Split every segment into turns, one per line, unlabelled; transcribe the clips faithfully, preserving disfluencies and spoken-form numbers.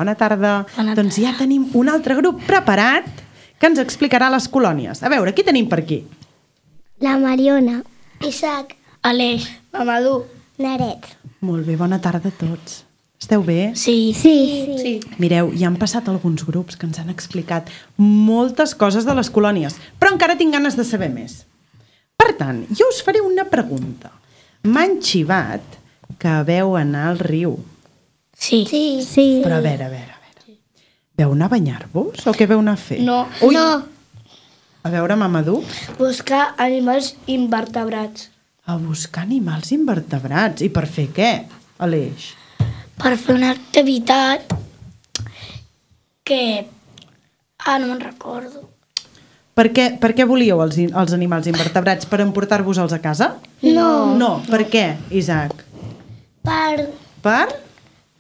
bona tarda.
Bona
Doncs ja tenim un altre grup preparat que ens explicarà les colònies. A veure, qui tenim per aquí?
La Mariona.
Isaac.
Aleix.
Mamadou.
Naret.
Molt bé, bona tarda a tots. Esteu bé?
Sí.
Sí.
Sí.
Mireu, ja han passat alguns grups que ens han explicat moltes coses de les colònies, però encara tinc ganes de saber més. Per tant, jo us faré una pregunta. M'han xivat que veu anar al riu.
Sí.
Sí.
Sí.
Però a veure, a veure, a veure. Veu anar a banyar-vos o què veu anar a fer?
No.
Ui.
No.
A veure, Mamadou.
Buscar animals invertebrats.
A buscar animals invertebrats. I per fer què, Aleix?
Per fer una activitat que... Ah, no me'n recordo.
Per què, per què volíeu els, in- els animals invertebrats? Per emportar-vos-els a casa?
No.
No, per què, Isaac?
Per,
Per?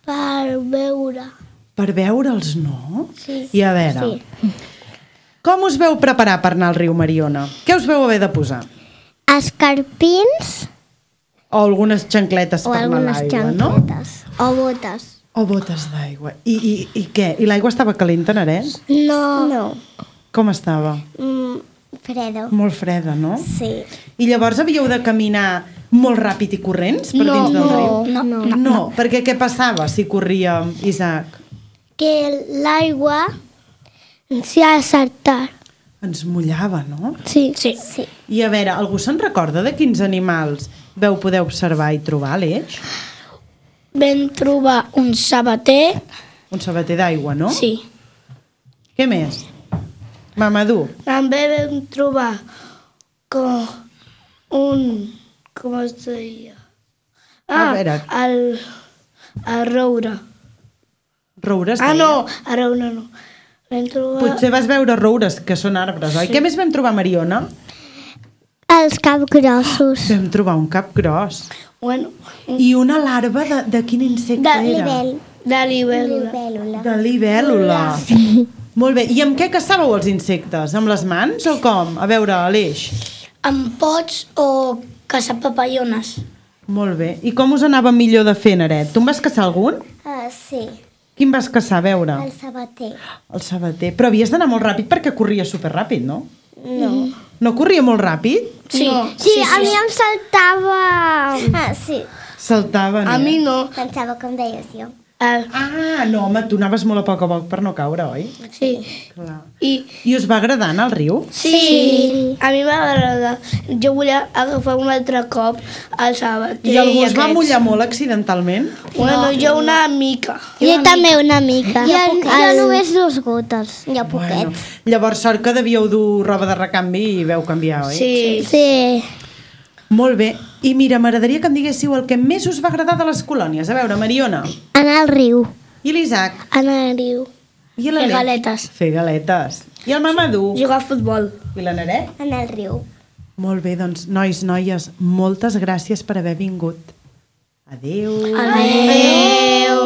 per veure.
Per veure'ls, no?
Sí.
I a veure,
Sí.
com us veu preparar per anar al riu Mariona? Què us veu haver de posar?
Escarpins
O algunes xancletes
o
per anar a
algunes
l'aigua, no?
xanquetes. O botes.
O botes d'aigua. I, i, I què? I l'aigua estava calenta, Naret?
No. No.
Com estava?
Mm, fredo.
Molt freda, no?
Sí.
I llavors havíeu de caminar molt ràpid i corrents per
No,
dins del
no,
riu?
No, no,
No, no, perquè què passava si corria Isaac?
Que l'aigua s'hi ha de saltar.
Ens mullava, no?
Sí.
Sí.
Sí.
I a veure, algú se'n recorda de quins animals veu poder observar i trobar, Aleix?
Vam trobar un sabater.
Un sabater d'aigua, no?
Sí.
Què més? Mamadou.
També vam trobar com un... Com es deia?
A
Ah,
veure.
el... El roure.
Roures
Ah,
deia.
no, el roure no. Vam trobar...
Potser vas veure roures, que són arbres, oi? Què més vam trobar, Mariona?
Els capgrossos.
Vam trobar un cap gros.
Bueno,
I una larva de, de quin insecte
De
era?
de libèl·lula.
Libèl·lula.
De libèl·lula. Molt bé. I amb què caçàveu els insectes? Amb les mans o com? A veure, Aleix.
Amb pots o caçar papallones.
Molt bé. I com us anava millor de fer, Naret? Tu en vas caçar algun?
Ah, sí.
Quin vas caçar, a veure?
El sabater.
El sabater. Però havies d'anar molt ràpid perquè corria superràpid, no?
No.
No corria molt ràpid?
Sí.
No.
Sí, a mi em saltava... Ah, sí.
Saltava,
A mi no.
Pensava com deies jo.
El...
Ah, no, home, tu anaves molt a poc a poc per no caure, oi?
Sí.
Clar.
I...
I us va agradar anar al riu?
Sí. A mi m'agrada. Jo volia agafar un altre cop el sabater.
I algú es va
aquests.
mullar molt accidentalment?
Bueno, jo una mica.
Jo també una mica. Jo, jo només dos gotes. Jo poquet.
Bueno, llavors sort que devíeu dur roba de recanvi i veu canviar, oi?
Sí.
Sí.
Molt bé. I mira, m'agradaria que em diguéssiu el que més us va agradar de les colònies. A veure, Mariona.
Anar al riu.
I l'Isaac.
Anar al riu.
I
Fer
l'Aleix.
galetes.
Fer galetes. I el Mamadou.
Jugar a futbol.
I la Naret.
Anar al riu.
Molt bé, doncs, nois, noies, moltes gràcies per haver vingut. Adéu.
Adéu.